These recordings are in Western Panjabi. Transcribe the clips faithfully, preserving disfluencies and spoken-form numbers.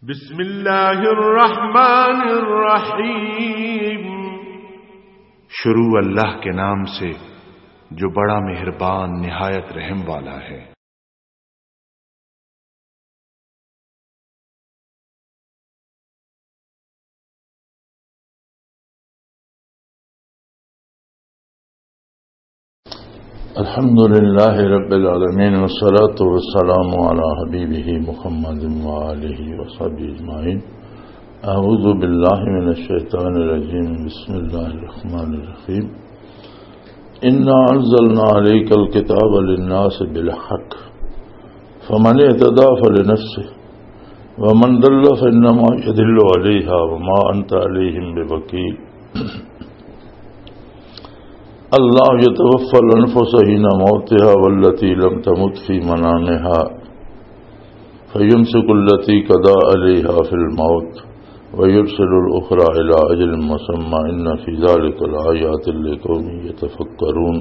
بسم اللہ الرحمن الرحیم۔ شروع اللہ کے نام سے جو بڑا مہربان نہایت رحم والا ہے۔ الحمد لله رب العالمين، والصلاة والسلام على حبيبه محمد وآله وصحبه أجمعين. أعوذ بالله من الشيطان الرجيم. بسم الله الرحمن الرحيم. إنا أنزلنا عليك الكتاب للناس بالحق، فمن اهتدى فلنفسه، ومن ضل فإنما يضل عليها، وما أنت عليهم بوكيل. الله يتوفى الأنفس حين موتها والتي لم تمت في منامها، فيمسك التي قضى عليها في الموت ويرسل الأخرى إلى أجل مسمى، إن في ذلك لآيات لقوم يتفكرون.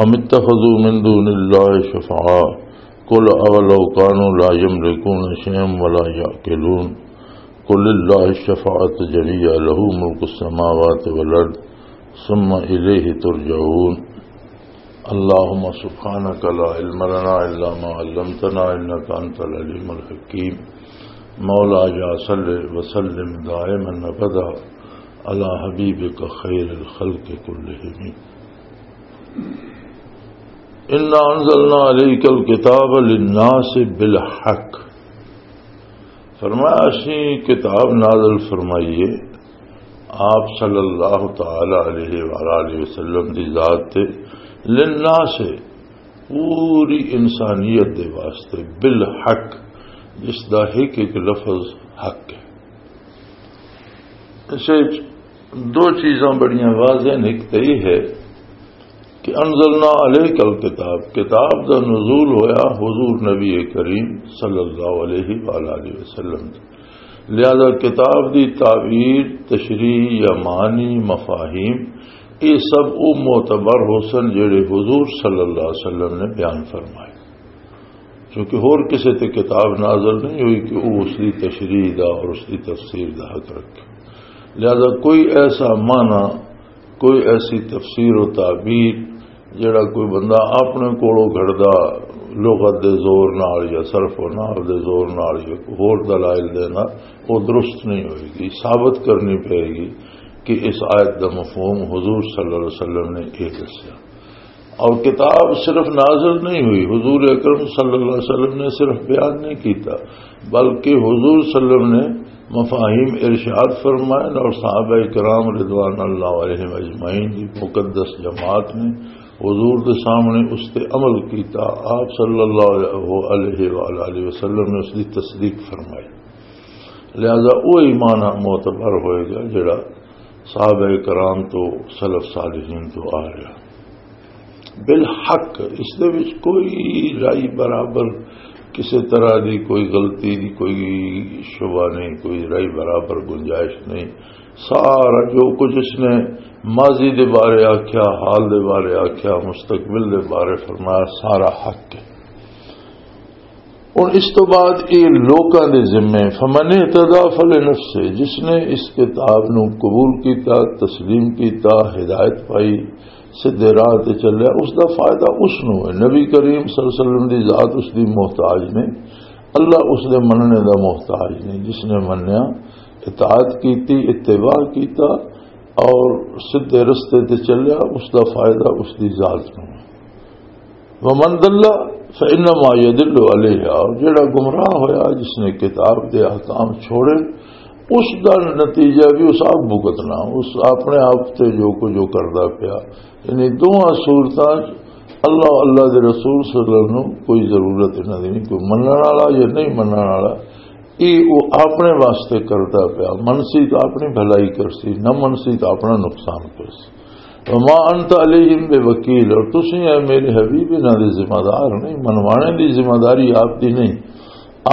أم اتخذوا من دون الله شفعاء، قل أولو كانوا لا يملكون شيئا ولا يعقلون. قل لله الشفاعة جميعا له ملك السماوات والأرض ثم إليه ترجعون. اللهم سبحانك لا علم لنا إلا ما علمتنا إنك أنت العليم الحكيم. مولاي صل وسلم دائما أبدا على حبيبك خير الخلق كلهم. إنا أنزلنا عليك الكتاب للناس بالحق. فرمایا، اسی کتاب نازل فرمائیے آپ صلی اللہ تعالی علیہ وآلہ وسلم دی ذات تے، للناس، پوری انسانیت دے واسطے، بالحق، جس دا ایک ایک لفظ حق ہے۔ اس وچ دو چیزاں بڑیاں واضح نے۔ ایک تے یہ ہے کہ انزلنا علیک الکتاب، کتاب دا نزول ہویا حضور نبی کریم صلی اللہ علیہ وآلہ وسلم تے۔ لہذا کتاب دی تعبیر، تشریح یا معنی، مفاہیم، یہ سب او معتبر ہو سن جڑے حضور صلی اللہ علیہ وسلم نے بیان فرمائے۔ کیونکہ ہور کسے تے کتاب نازل نہیں ہوئی کہ وہ اس دی تشریح دا اور اس دی تفسیر دا حق رکھے۔ لہذا کوئی ایسا معنی، کوئی ایسی تفسیر و تعبیر جڑا کوئی بندہ اپنے کولوں گھڑدا لغت دے زور نال یا صرف و نحو دے زور نال یا کوئی ہور دلائل دے نال، وہ درست نہیں ہوئے گی، ثابت کرنی پائے گی کہ اس آیت دا مفہوم حضور صلی اللہ علیہ وسلم نے یہ دسیا۔ اور کتاب صرف نازل نہیں ہوئی، حضور اکرم صلی اللہ علیہ وسلم نے صرف بیان نہیں کیتا، بلکہ حضور صلی اللہ علیہ وسلم نے مفاہیم ارشاد فرمائے اور صحابہ کرام رضوان اللہ علیہم اجمعین دی مقدس جماعت نے حضور دے سامنے اس تے عمل کیتا۔ آپ صلی اللہ علیہ وآلہ وسلم نے اس دی تصدیق فرمائی۔ لہذا وہ ایمان معتبر ہوئے گا جڑا صحابہ کرام تو، سلف صالحین تو آ رہا۔ بالحق، اس دے وچ کوئی رائی برابر، کسی طرح دی کوئی غلطی دی کوئی شبہ نہیں، کوئی رائی برابر گنجائش نہیں۔ سارا جو کچھ اس نے ماضی دے بارے آکھیا، حال دے بارے آکھیا، مستقبل دے بارے فرمایا، سارا حق ہے۔ ہن اس تو بعد یہ لوکاں دے ذمے، فمن اہتدی فلنفسہ، جس نے اس کتاب نو قبول کیتا، تسلیم کیتا، ہدایت پائی، سیدھے راہ تے چلیا، اس دا فائدہ اس نو ہے۔ نبی کریم صلی اللہ علیہ وسلم دی ذات اس دی محتاج نہیں، اللہ اس دے مننے دا محتاج نہیں۔ جس نے منیا، اطاعت کیتی، اتباع کیتا اور سیدھے رستے تے چلیا، اس دا فائدہ اس دی ذات نو ہے۔ ومن ضل فانما یضل علیہا، اور جڑا گمراہ ہویا جس نے کتاب دے احکام چھوڑے، اس دا نتیجہ بھی اس آپ بھگتنا، اس اپنے آپ تے جو کچھ جو کردا پیا۔ یعنی دوواں صورتاں اللہ، اللہ دے رسول صلی اللہ علیہ وسلم نوں کوئی ضرورت انہاں دی نہیں، کوئی منن والا یا نہیں منن والا، یہ وہ اپنے واسطے کردا پیا، منسی تو اپنی بھلائی کرسی، نہ منسی تو اپنا نقصان کرسی۔ وما انت علیہم بوکیل، اور تسی اے میرے حبیب انہاں دے ذمہ دار نہیں، منوانے دی ذمہ داری آپ دی نہیں،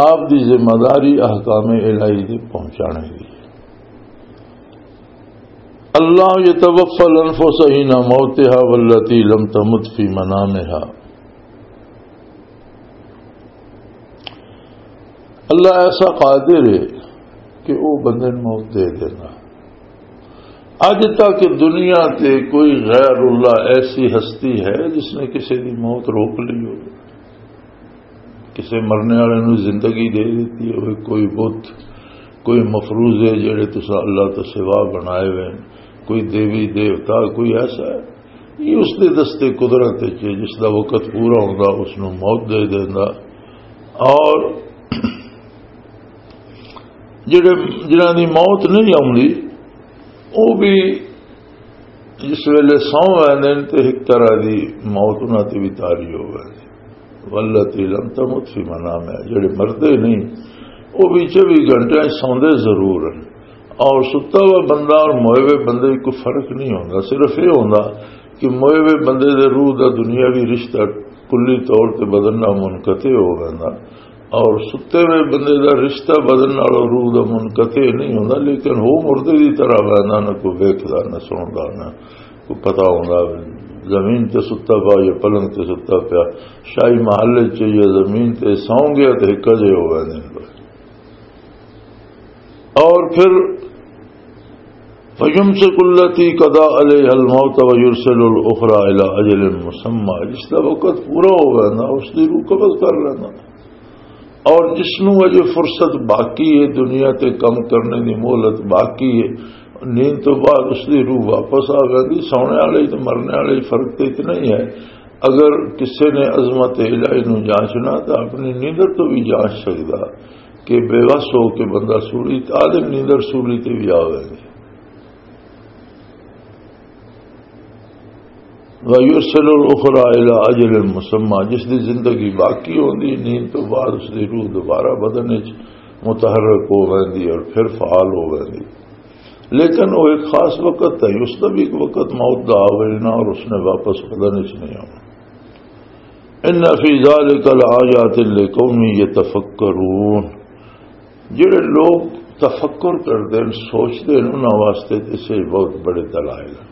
آپ دی ذمہ داری احکام الہی دے پہنچانے دی۔ اللہ یتوفی الانفس حین موتها والتی لم تمت فی منامها۔ اللہ ایسا قادر ہے کہ وہ بندے نوں موت دے دینا۔ اج تک دنیا تے کوئی غیر اللہ ایسی ہستی ہے جس نے کسی دی موت روک لی ہو؟ کسی مرنے والے نوں زندگی دے دیتی ہوئے، کوئی بت، کوئی مفروضے جڑے تساں اللہ تو سوا بنائے ہوئے، کوئی دیوی دیوتا، کوئی ایسا ہے؟ یہ اس دے دستے قدرت وچ ہے، جس دا وقت پورا ہوندا، اس نوں موت دے دیندا۔ اور جڑے، جنہاں دی موت نہیں آوندی، وہ بھی جس ویلے سو ویندے نے تے ایک طرح دی موت انہاں تے بھی طاری ہو ویندی۔ والتی لم تمت فی منامہا، جڑے مردے نہیں، وہ بھی چوبی گھنٹے سوندے ضرور ہیں۔ اور ستا ہوا بندہ اور موئے ہوئے بندے کو فرق نہیں ہوندا، صرف یہ ہوندا کہ موئے ہوئے بندے دے روح دا دنیاوی رشتہ کلی طور تے بدن نال منقطع ہو ویندا، اور ستے ہوئے بندے دا رشتہ بدن نال روح دا منقطع نہیں ہوندا، لیکن ہو مردے دی طرح ویندا، نہ کوئی ویکھدا، نہ سندا، نہ کوئی پتہ ہوندا۔ زمین تے ستا پیا یا پلنگ تے ستا پیا، شاہی محل چ یا زمین تے سو گیا تے ایک جے ہو ویندے نے۔ اور پھر فَيُمْسِكُ الَّتِي قَضَى عَلَيْهَا الْمَوْتَ وَيُرْسِلُ الْأُخْرَى إِلَى أَجَلٍ مُّسَمًّى، جس دا وقت پورا ہو گیا نا، اس دی روح قبض کر لینا۔ اور جس نوں اجے فرصت باقی ہے، دنیا تے کم کرنے دی مہلت باقی ہے، نیند تو بعد اس دی روح واپس آ گئی۔ سونے والے تے مرنے والے فرق تے اتنا ہی ہے۔ اگر کسے نے عظمت الہی نوں جانچنا تو اپنی نیندر تو بھی جانچ سکدا کہ بے وس ہو کے بندہ سولی، آدم نیندر سولی تے بھی آ گئے۔ وَيُرْسِلُ الْأُخْرَى إِلَى أَجَلٍ مُّسَمًّى، جس دی زندگی باقی ہوندی، نیند تو بعد اس دی روح دوبارہ بدن وچ متحرک ہو ویندی اور پھر فعال ہو ویندی۔ لیکن وہ ایک خاص وقت ہے، اس دا بھی ایک وقت موت دا آ وینا اور اس نے واپس بدن وچ نہیں آنا۔ إِنَّ فِي ذَلِكَ لَآيَاتٍ لِقَوْمٍ يَتَفَكَّرُونَ، جڑے لوگ تفکر کردے ہیں، سوچدے ہیں، انہاں واسطے تے اسے بہت بڑے دلائل ہیں۔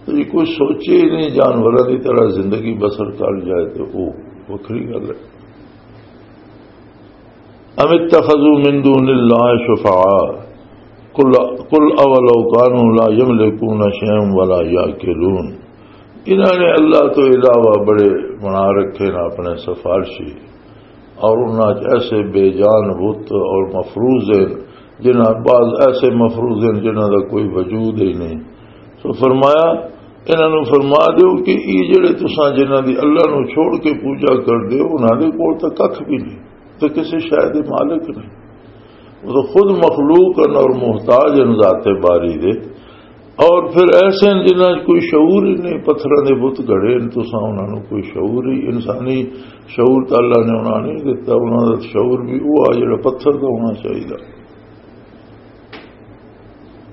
تے جے کوئی سوچے ہی نہیں، جانوراں دی طرح زندگی بسر کر جائے، تے او وکھری گل ہے۔ أَمِ اتَّخَذُوا مِن دُونِ اللَّهِ شُفَعَاءَ، قُلْ، قُلْ أَوَلَوْ كَانُوا لَا يَمْلِكُونَ شَيْئًا وَلَا يَعْقِلُونَ۔ انہاں نے اللہ تو علاوہ بڑے بنا رکھے نے اپنے سفارشی، اور انہاں چ ایسے بے جان بت اور مفروض ہیں، جنہاں، بعض ایسے مفروض ہیں جنہاں دا کوئی وجود ہی نہیں۔ سو فرمایا، انہاں نوں فرما دیو کہ یہ جڑے تساں جنہاں دی اللہ نوں چھوڑ کے پوجا کر دیو، انہاں دے کول تاں ککھ بھی نہیں، تے کسے شے دے مالک نہیں۔ وہ تو خود مخلوق ہیں اور محتاج ہیں ذات باری دے۔ اور پھر ایسے ہیں جنہاں چ کوئی شعور ہی نہیں، پتھراں دے بت گھڑے ہیں، تساں انہاں نوں کوئی شعور ہی، انسانی شعور تے اللہ نے انہاں نہیں دتا، انہاں دا شعور بھی وہ آ جڑا پتھر دا ہونا چاہیے۔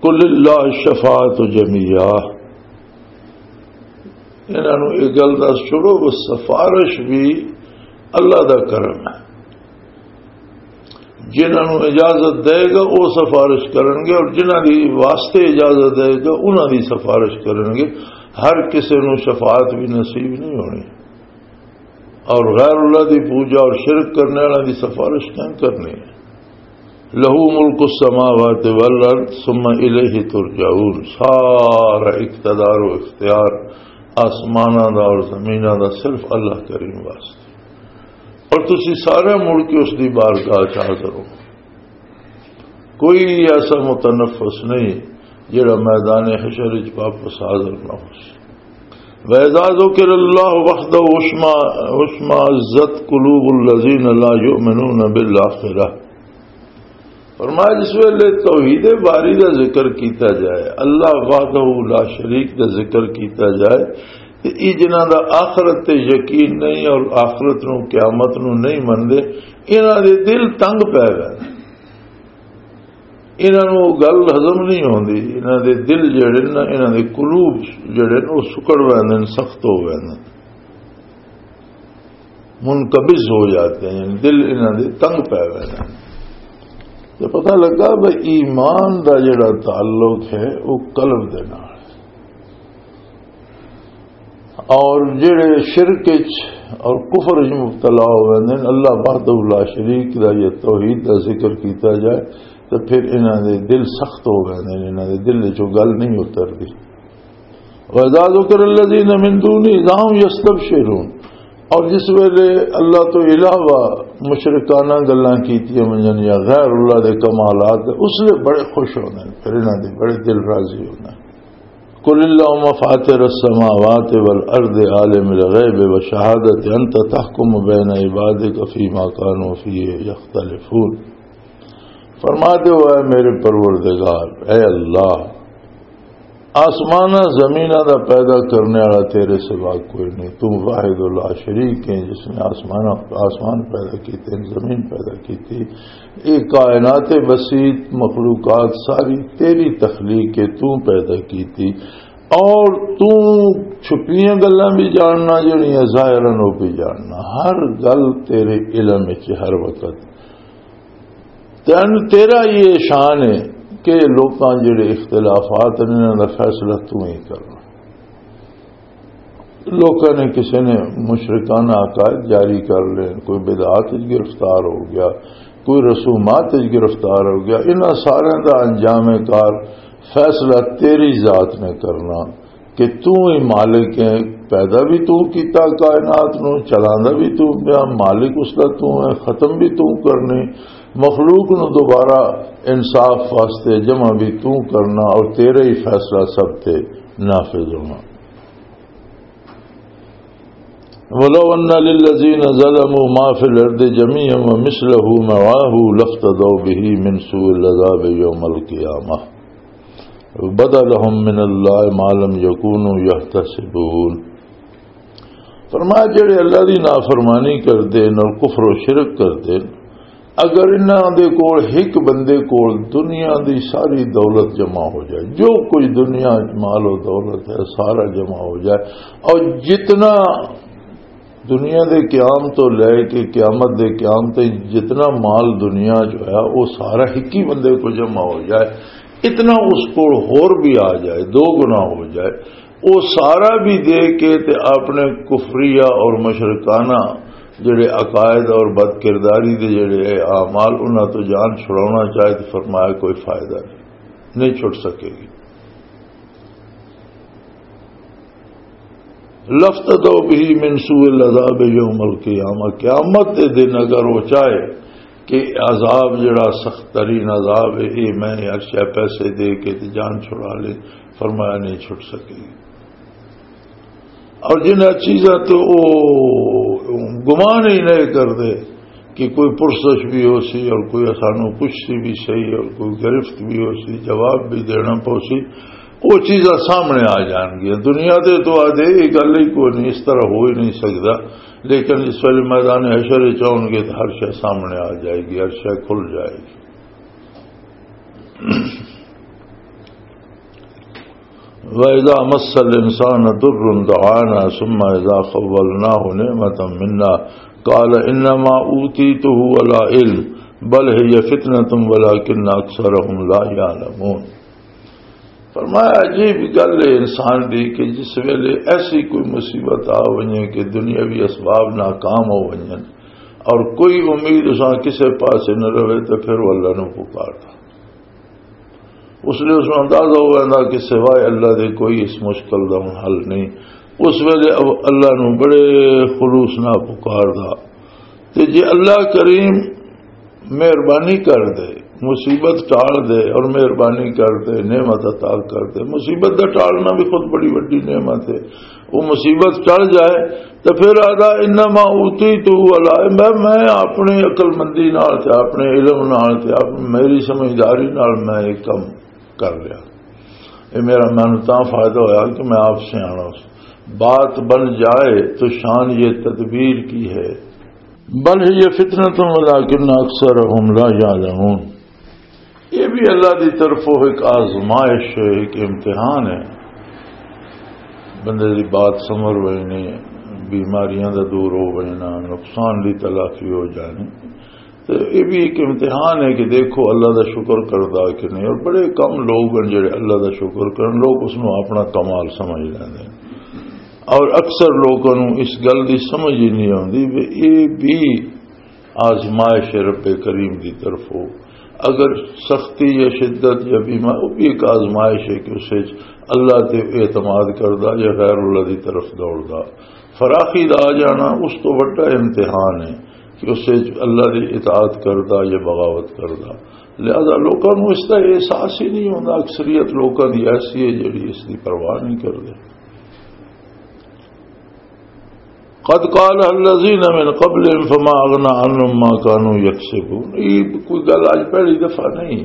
قل للہ الشفاعۃ جمیعا، انہاں نوں یہ گل دس چھوڑو، وہ سفارش بھی اللہ دا کرم ہے۔ جنہاں نوں اجازت دے گا، وہ سفارش کرن گے، اور جنہاں دی واسطے اجازت دے گا، انہاں دی سفارش کرن گے۔ ہر کسے نوں شفاعت بھی نصیب نہیں ہونی، اور غیر اللہ دی پوجا اور شرک کرنے والوں دی سفارش کیوں کرنی ہے؟ لہ ملک السماوات والارض ثم الیہ ترجعون، سارا اقتدار و اختیار آسماناں دا اور زمیناں دا صرف اللہ کریم واسطے، اور تسی سارے مڑ کے اس دی بارگاہ چ حاضر ہو۔ کوئی ایسا متنفس نہیں جڑا میدان حشر وچ واپس حاضر نہ ہو سی۔ وَإِذَا ذُكِرَ اللَّهُ وَحْدَهُ اشْمَأَزَّتْ قُلُوبُ الَّذِينَ لَا يُؤْمِنُونَ بِالْآخِرَةِ۔ فرمایا، جس ویلے توحید باری دا ذکر کیتا جائے، اللہ وحدہ لا شریک دا ذکر کیتا جائے، تے یہ جنہاں دا آخرت تے یقین نہیں اور آخرت نو، قیامت نو نہیں مندے، انہاں دے دل تنگ پے گئے۔ انہاں نوں او گل ہضم نہیں ہوندی، انہاں دے دل جڑے نا، انہاں دے قلوب جڑے نا، او سکڑ ویندے نے، سخت ہو ویندے نے، منقبض ہو جاتے ہیں، یعنی دل انہاں دے تنگ پے ویندے نے۔ تے پتہ لگا بھئی ایمان دا جڑا تعلق ہے، او قلب دے نال۔ اور جڑے شرک وچ اور کفر وچ مبتلا ہو ویندے نے۔ اللہ وحدہ لا شریک دا یہ توحید دا ذکر کیتا جائے تو پھر انہاں دے دل سخت ہو ویندے نے، انہاں دے دل وچوں گل نہیں اتردی۔ وَإِذَا ذُكِرَ الَّذِينَ مِن دُونِهِ إِذَا هُمْ يَسْتَبْشِرُونَ۔ اور جس ویلے اللہ تو علاوہ مشرکانہ گلاں کیتیاں ونجن یا غیر اللہ دے کمالات، اس لیے بڑے خوش ہوندے نے، پھر انہاں دے بڑے دل راضی ہوندے نے۔ قل اللهم فاطر السماوات والارض عالم الغیب والشہادت انت تحکم بین عبادک فیما کانوا فیہ یختلفون۔ فرما دے، اے میرے پروردگار، اے اللہ، آسماناں زمیناں دا پیدا کرنے والا تیرے سوا کوئی نہیں۔ تو واحد لا شریک ہے، جس نے آسمان، آسمان پیدا کیتے، زمین پیدا کیتی، یہ کائنات وسیع، مخلوقات ساری تیری تخلیق ہے، تو پیدا کیتی۔ اور تو چھپیاں گلاں بھی جاننا، جڑیاں ظاہراً وہ بھی جاننا۔ ہر گل تیرے علم وچ ہر وقت۔ تین تیرا یہ شان ہے کہ لوکاں جڑے اختلافات نے، انہاں دا فیصلہ تو ہی کرنا۔ لوکاں نے، کسی نے مشرکانہ عقائد جاری کر لے، کوئی بدعات وچ گرفتار ہو گیا، کوئی رسومات وچ گرفتار ہو گیا، انہاں سارے دا انجام کار فیصلہ تیری ذات نے کرنا کہ تو ہی مالک ہے۔ پیدا بھی تو کیتا کائنات نو، چلاندا بھی تو پیا، مالک اس دا تو ہے، ختم بھی تو کرنی، مخلوق نو دوبارہ انصاف واسطے جمع بھی تو کرنا، اور تیرا ہی فیصلہ سب تے نافذ ہونا۔ ولو ان للذین ظلموا ما فی الارض جميعا ومثله معه لافتدوا به من سوء العذاب یوم القیامة وبدا لهم من اللہ ما لم یکونوا یحتسبون۔ فرمایا، جڑے اللہ دی نافرمانی کردے نے اور کفر و شرک کردے نے، اگر انہاں دے کول، ایک بندے کول، دنیا دی ساری دولت جمع ہو جائے، جو کچھ دنیا وچ مال و دولت ہے، سارا جمع ہو جائے، اور جتنا دنیا دے قیام تو لے کے قیامت دے قیام تک جتنا مال دنیا جو ہے، وہ سارا ایک ہی بندے کو جمع ہو جائے، اتنا اس کو ہور بھی آ جائے، دو گنا ہو جائے، وہ سارا بھی دے کے تے اپنے کفریہ اور مشرکانہ جڑے عقائد اور بد کرداری دے جڑے اعمال، انہاں تو جان چھڑانا چاہے تو فرمایا، کوئی فائدہ نہیں، نہیں چھٹ سکے گی۔ لفتدوا به من سوء العذاب یوم القیامہ، قیامت دے دن اگر وہ چاہے کہ عذاب جڑا سخت ترین عذاب ہے، اے میں عرش پیسے دے کے تے جان چھڑا لے، فرمایا نہیں چھٹ سکے۔ اور جنہاں چیزاں تو وہ گمان ہی نہیں کردے کہ کوئی پرسش بھی ہو سی اور کوئی سانو پوچھ سی بھی صحیح اور کوئی گرفت بھی ہو سی، جواب بھی دینا پو سی، وہ چیزاں سامنے آ جان گیا۔ دنیا دے تو آدھے یہ گل ہی کوئی نہیں، اس طرح ہو ہی نہیں سکتا، لیکن اس ویلے میدان حشر وچ آؤ گے تو ہر شے سامنے آ جائے گی، ہر شے کھل جائے گی۔ وَإِذَا مَسَّ الْإِنسَانَ ضُرٌّ دَعَانَا ثُمَّ إِذَا خَوَّلْنَاهُ نِعْمَةً مِنَّا قَالَ إِنَّمَا أُوتِيتُهُ عَلَىٰ عِلْمٍ بَلْ هِيَ فِتْنَةٌ وَلَٰكِنَّ أَكْثَرَهُمْ لَا يَعْلَمُونَ۔ فرمایا، عجیب گل ہے انسان دی کہ جس ویلے ایسی کوئی مصیبت آ ونجے کہ دنیاوی اسباب ناکام ہو ونجن اور کوئی امید اساں کسے پاسے نہ رہے، تو پھر وہ اللہ نو پکاردا۔ اس لیے اس نوں اندازہ ہو ویندا کہ سوائے اللہ دے کوئی اس مشکل دا ہن حل نہیں۔ اس ویلے او اللہ نوں بڑے خلوص نال پکاردا۔ تے جے اللہ کریم مہربانی کر دے، مصیبت ٹال دے اور مہربانی کر دے، نعمت عطا کر دے، مصیبت دا ٹالنا بھی خود بڑی وڈی نعمت ہے۔ وہ مصیبت ٹل جائے تو پھر آدھا، "انما اوتیتہ علی علم"، میں، میں اپنی عقل مندی نال تے اپنے علم نال تے اپ-، میری سمجھداری نال میں یہ کم کر لیا۔ یہ میرا، مینوں تاں فائدہ ہویا کہ میں آپ سیاݨا ہاں۔ بات بن جائے تو شان یہ تدبیر کی ہے۔ بل هی فتنة ولکن اکثرهم لا یعلمون۔ یہ بھی اللہ دی طرفوں ایک آزمائش ہے، ایک امتحان ہے۔ بندے دی بات سمر وینے، بیماریاں دا دور ہو وینا، نقصان دی تلافی ہو جانی۔ تو یہ بھی ایک امتحان ہے کہ دیکھو اللہ دا شکر کردا کہ نہیں۔ اور بڑے کم لوگ ہیں جڑے اللہ دا شکر کرن، لوگ اس نوں اپنا کمال سمجھ لیندے ہیں۔ اور اکثر لوگاں نوں اس گل دی سمجھ ہی نہیں آندی کہ اے بھی آزمائش رب کریم دی طرف ہو۔ اگر سختی یا شدت یا بیمار، وہ بھی ایک آزمائش ہے کہ اس وچ اللہ تے اعتماد کردا یا غیر اللہ دی طرف دوڑدا۔ فراخی دا آ جانا اس تو وڈا امتحان ہے کہ اس وچ اللہ دی اطاعت کردا یا بغاوت کردا۔ لہذا لوکاں نوں اس دا احساس ہی نہیں ہوندا۔ اکثریت لوکاں دی ایسی ہے جڑی اس دی پرواہ نہیں کردے۔ قد قال الذين من قبلهم فما اغنى عنهم ما كانوا يكسبون۔ یہ کوئی گل اج پہلی دفعہ نہیں۔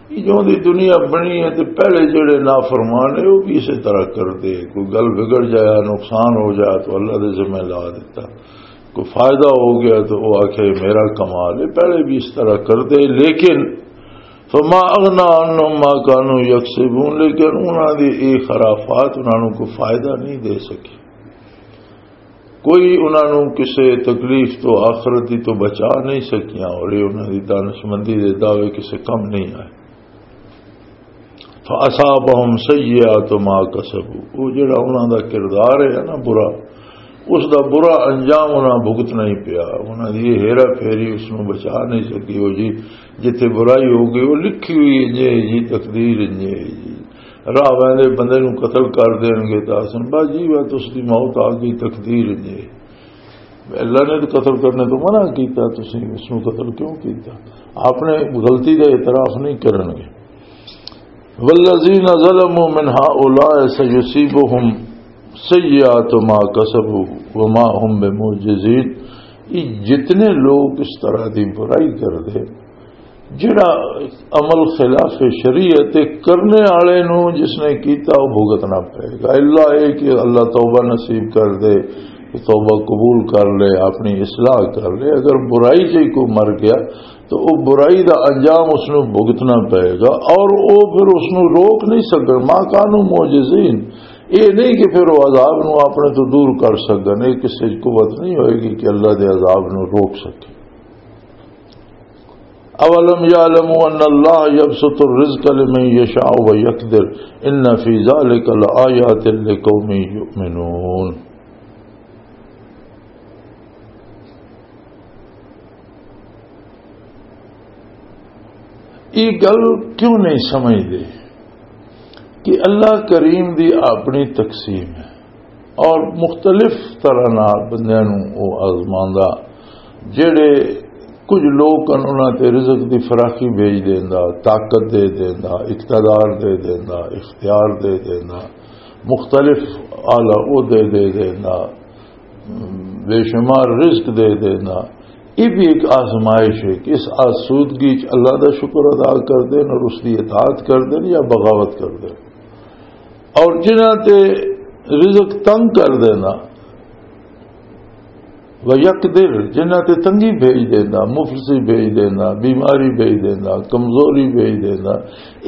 یہ جو دی دنیا بنی ہے تے پہلے جڑے نافرمان ہیں وہ بھی اسی طرح کردے۔ کوئی گل بگڑ جایا، نقصان ہو جایا تو اللہ دے ذمہ لا دیتا، کوئی فائدہ ہو گیا تو وہ آکھے میرا کمال ہے۔ پہلے بھی اس طرح کردے، لیکن فما اغنى عنهم ما كانوا يكسبون، لیکن انہاں دی یہ خرافات انہاں نوں کوئی فائدہ نہیں دے سکی۔ کوئی انہاں نوں کسے تکلیف تو، آخرت دی تو بچا نہیں سکیاں، اور یہ انہاں دی دانشمندی دے دعوے کسے کم نہیں آئے۔ فَأَصَابَهُمْ سَيِّئَاتُ مَا كَسَبُوا، وہ جڑا انہاں دا کردار ہے نا برا، اس دا برا انجام انہاں بھگتنا ہی پیا۔ انہاں دی یہ ہیرا پھیری اس نوں بچا نہیں سکی۔ وہ جی جتھے برائی ہو گئی، وہ لکھی ہوئی ہے جی، جی تقدیر ہے جی۔ راہ ویندے بندے نوں قتل کر دین گے تو آسن، بس جی، بس اس دی موت آ گئی، تقدیر ہے جی۔ اللہ نے تو قتل کرنے تو منع کیتا، تسی اس نوں قتل کیوں کیتا؟ آپ نے غلطی دا اعتراف نہیں کرن گے۔ والذین ظلموا من هؤلاء سیصیبهم سیئات ما کسبوا وما هم بمعجزین۔ یہ جتنے لوگ اس طرح دی برائی کر دے، جڑا عمل خلاف شریعت کرنے والے نو جس نے کیتا، وہ بھگتنا پائے گا۔ اللہ اے کہ اللہ توبہ نصیب کر دے، توبہ قبول کر لے، اپنی اصلاح کر لے۔ اگر برائی سے کوئی مر گیا تو وہ برائی دا انجام اس نو بھگتنا پائے گا، اور وہ پھر اس نو روک نہیں سکن۔ ما کانوا معجزین، یہ نہیں کہ پھر وہ عذاب نو اپنے تو دور کر سکن۔ یہ کسی قوت نہیں ہوئے گی کہ اللہ دے عذاب نو روک سکے۔ اولم یعلموا ان اللہ یبسط الرزق لمن یشاء ویقدر ان فی ذلک لآیات لقوم یؤمنون۔ یہ گل کیوں نہیں سمجھدے کہ اللہ کریم دی اپنی تقسیم ہے اور مختلف طرح نال بندیاں نوں او آزماندا، جڑے کچھ لوگ ہن انہاں تے رزق دی فراخی بھیج دیندا، طاقت دے دیندا، اقتدار دے دیندا، اختیار دے دیندا، مختلف اعلی عہدے دے دیندا، بے شمار رزق دے دینا، یہ بھی ایک آزمائش ہے کہ اس آسودگی چ اللہ دا شکر ادا کر دین اور اس دی اطاعت کر دین یا بغاوت کر دین۔ اور جنہاں تے رزق تنگ کر دینا، و یقدر، جنہاں تے تنگی بھیج دینا، مفلسی بھیج دینا، بیماری بھیج دینا، کمزوری بھیج دینا،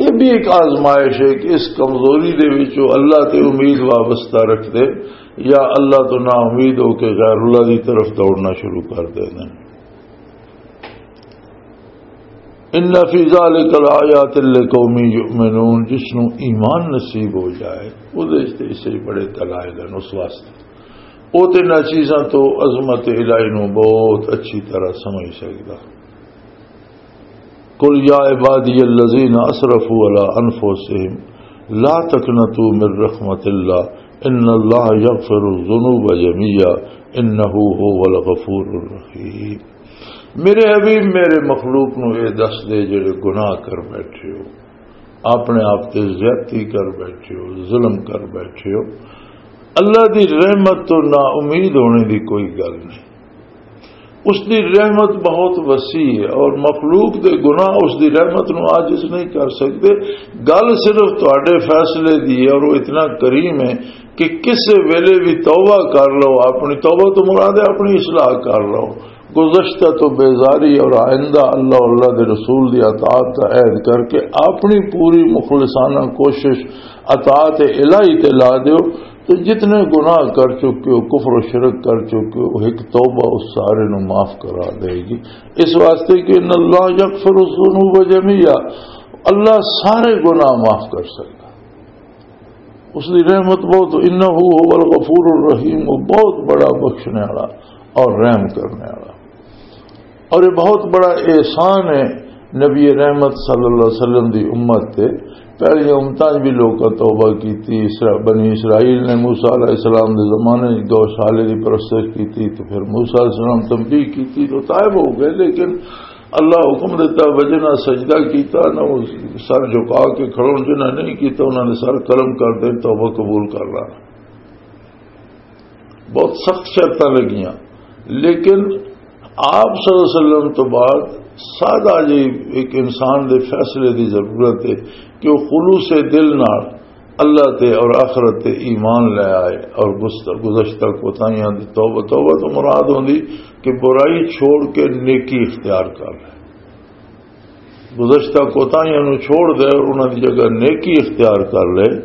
یہ بھی ایک آزمائش ہے کہ اس کمزوری دے وچوں اللہ تے امید وابستہ رکھ دے یا اللہ تو نا امید ہو کے غیر اللہ دی طرف دوڑنا شروع کر دینا۔ ان فی ذلک لآیات لقوم یؤمنون، جس نو ایمان نصیب ہو جائے، وہ دے تے اسے بڑے دلائل ہیں اس واسطے۔ وہ تے نہ چیزاں تو عظمت الہی نو بہت اچھی طرح سمجھ سکدا۔ قل یا عبادی الذین اسرفوا علی انفسهم لا تقنطوا من رحمت اللہ ان اللہ یغفر الذنوب جمیعا انہ هو الغفور الرحیم۔ میرے حبیب، میرے مخلوق نو یہ دس دے جڑے گناہ کر بیٹھے ہو، اپنے آپ تے زیادتی کر بیٹھے ہو، ظلم کر بیٹھے ہو، اللہ دی رحمت تو نا امید ہونے دی کوئی گل نہیں۔ اس دی رحمت بہت وسیع ہے اور مخلوق دے گناہ اس دی رحمت نو عاجز نہیں کر سکتے۔ گل صرف تواڈے فیصلے دی ہے اور وہ اتنا کریم ہے کہ کسے ویلے بھی توبہ کر لو، اپنی توبہ تو مراد ہے اپنی اصلاح کر لو، گزشتہ تو بیزاری اور آئندہ اللہ، اللہ دے رسول دی اطاعت دا عہد کر کے اپنی پوری مخلصانہ کوشش اطاعت الہی تے لا دیو۔ تو جتنے گناہ کر چکے ہو، کفر و شرک کر چکے ہو، ایک توبہ اس سارے نو معاف کرا دے گی۔ اس واسطے کہ ان اللہ یغفر الذنوب جمیعا، اللہ سارے گناہ معاف کر سکتا۔ اس دی رحمت بہت، انہ هو الغفور الرحیم، وہ بہت بڑا بخشنے والا اور رحم کرنے والا۔ اور یہ بہت بڑا احسان ہے نبی رحمت صلی اللہ علیہ وسلم دی امت تے۔ پہلیاں امتاں 'چ بھی لوکاں توبہ کیتی۔ اسرا-، بنی اسرائیل نے موسیٰ علیہ السلام دے زمانے 'چ گوشالے دی پرستش کیتی، تو پھر موسیٰ علیہ السلام تنبیہ کیتی تو تائب ہو گئے، لیکن اللہ حکم دیتا، وجہ نہ سجدہ کیتا، نہ وہ سر جھکا کے کھڑو، جنہاں نہیں کیتا، انہاں نے سر قلم کر دے، توبہ قبول کر لانا۔ بہت سخت شرطاں لگیاں، لیکن آپ صلی اللہ علیہ وسلم تو بعد سادہ جی ایک انسان دے فیصلے دی ضرورت ہے کہ وہ خلوص دل نال اللہ تے اور آخرت تے ایمان لے آئے اور گست-، گزشتہ کوتاہیاں دی توبہ، توبہ تو مراد ہوندی کہ برائی چھوڑ کے نیکی اختیار کر لے۔ گزشتہ کوتاہیاں نوں چھوڑ دے اور انہاں دی جگہ نیکی اختیار کر لے،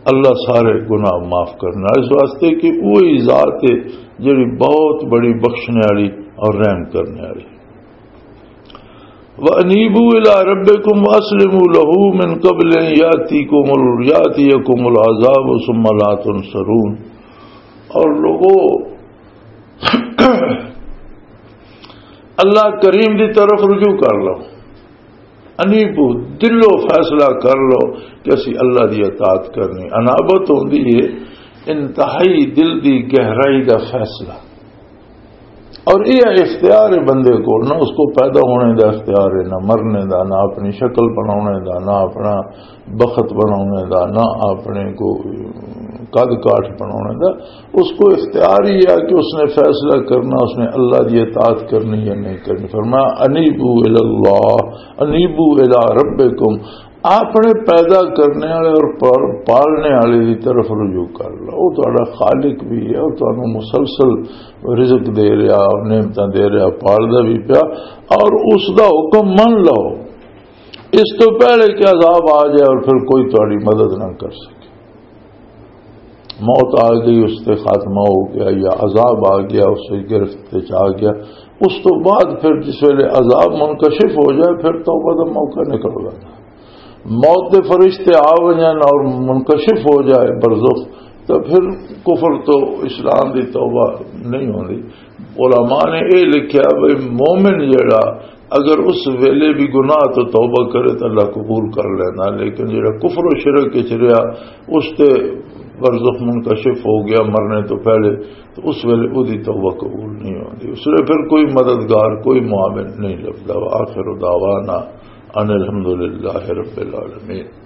اللہ سارے گناہ معاف کرنا۔ اس واسطے کہ وہی ذات ہے جڑی بہت بڑی بخشنے والی اور رحم کرنے والی۔ وَأَنِيبُوا إِلَىٰ رَبِّكُمْ وَأَسْلِمُوا لَهُ مِن قَبْلِ أَن يَأْتِيَكُمُ، يَأْتِيَكُمُ الْعَذَابُ ثُمَّ لَا تُنصَرُونَ۔ اور لوگو، اللہ کریم دی طرف رجوع کر لو، انیبو، دلو فیصلہ کر لو کہ اسی اللہ دی اطاعت کرنی۔ انابت ہوندی ہے انتہائی دل دی گہرائی دا فیصلہ، اور یہ اختیار ہے بندے کو، نہ اس کو پیدا ہونے دا اختیار ہے، نہ مرنے دا، نہ اپنی شکل بنانے دا، نہ اپنا بخت بنانے دا، نہ اپنے کو قد کاٹھ بنانے دا۔ اس کو اختیار ہی ہے کہ اس نے فیصلہ کرنا، اس نے اللہ دی اطاعت کرنی یا نہیں کرنی۔ فرمایا، "انیبو الی اللہ، انیبو الی ربکم۔" اپنے پیدا کرنے والے اور پال-، پالنے والے دی طرف رجوع کر لو۔ وہ تہاڈا خالق بھی ہے اور تانوں مسلسل رزق دے رہا، نعمتاں دے رہا، پالدا بھی پیا، اور اس دا حکم من لو۔ اس تو پہلے کہ عذاب آ جائے اور پھر کوئی تہاڈی مدد نہ کر سکے۔ موت آ گئی، اس تے خاتمہ ہو گیا، یا عذاب آ گیا، اس سے گرفت تے چ آ گیا، اس تو بعد پھر جس ویلے عذاب منکشف ہو جائے، پھر توبہ دا موقع نکل گیا۔ موت دے فرشتے آ وجن اور منکشف ہو جائے برزخ، تو پھر کفر تو اسلام دی توبہ نہیں ہوندی۔ علماء نے اے لکھیا بھئی، مومن جڑا اگر اس ویلے بھی گناہ تو توبہ کرے تو اللہ قبول کر لینا، لیکن جڑا کفر و شرک وچ رہیا، اس تے برزخ منکشف ہو گیا مرنے تو پہلے، تو اس ویلے اودی توبہ قبول نہیں ہوندی۔ اس لیے پھر کوئی مددگار، کوئی معاون نہیں لبدا۔ وآخر دعوانا ان الحمدللہ رب العالمین۔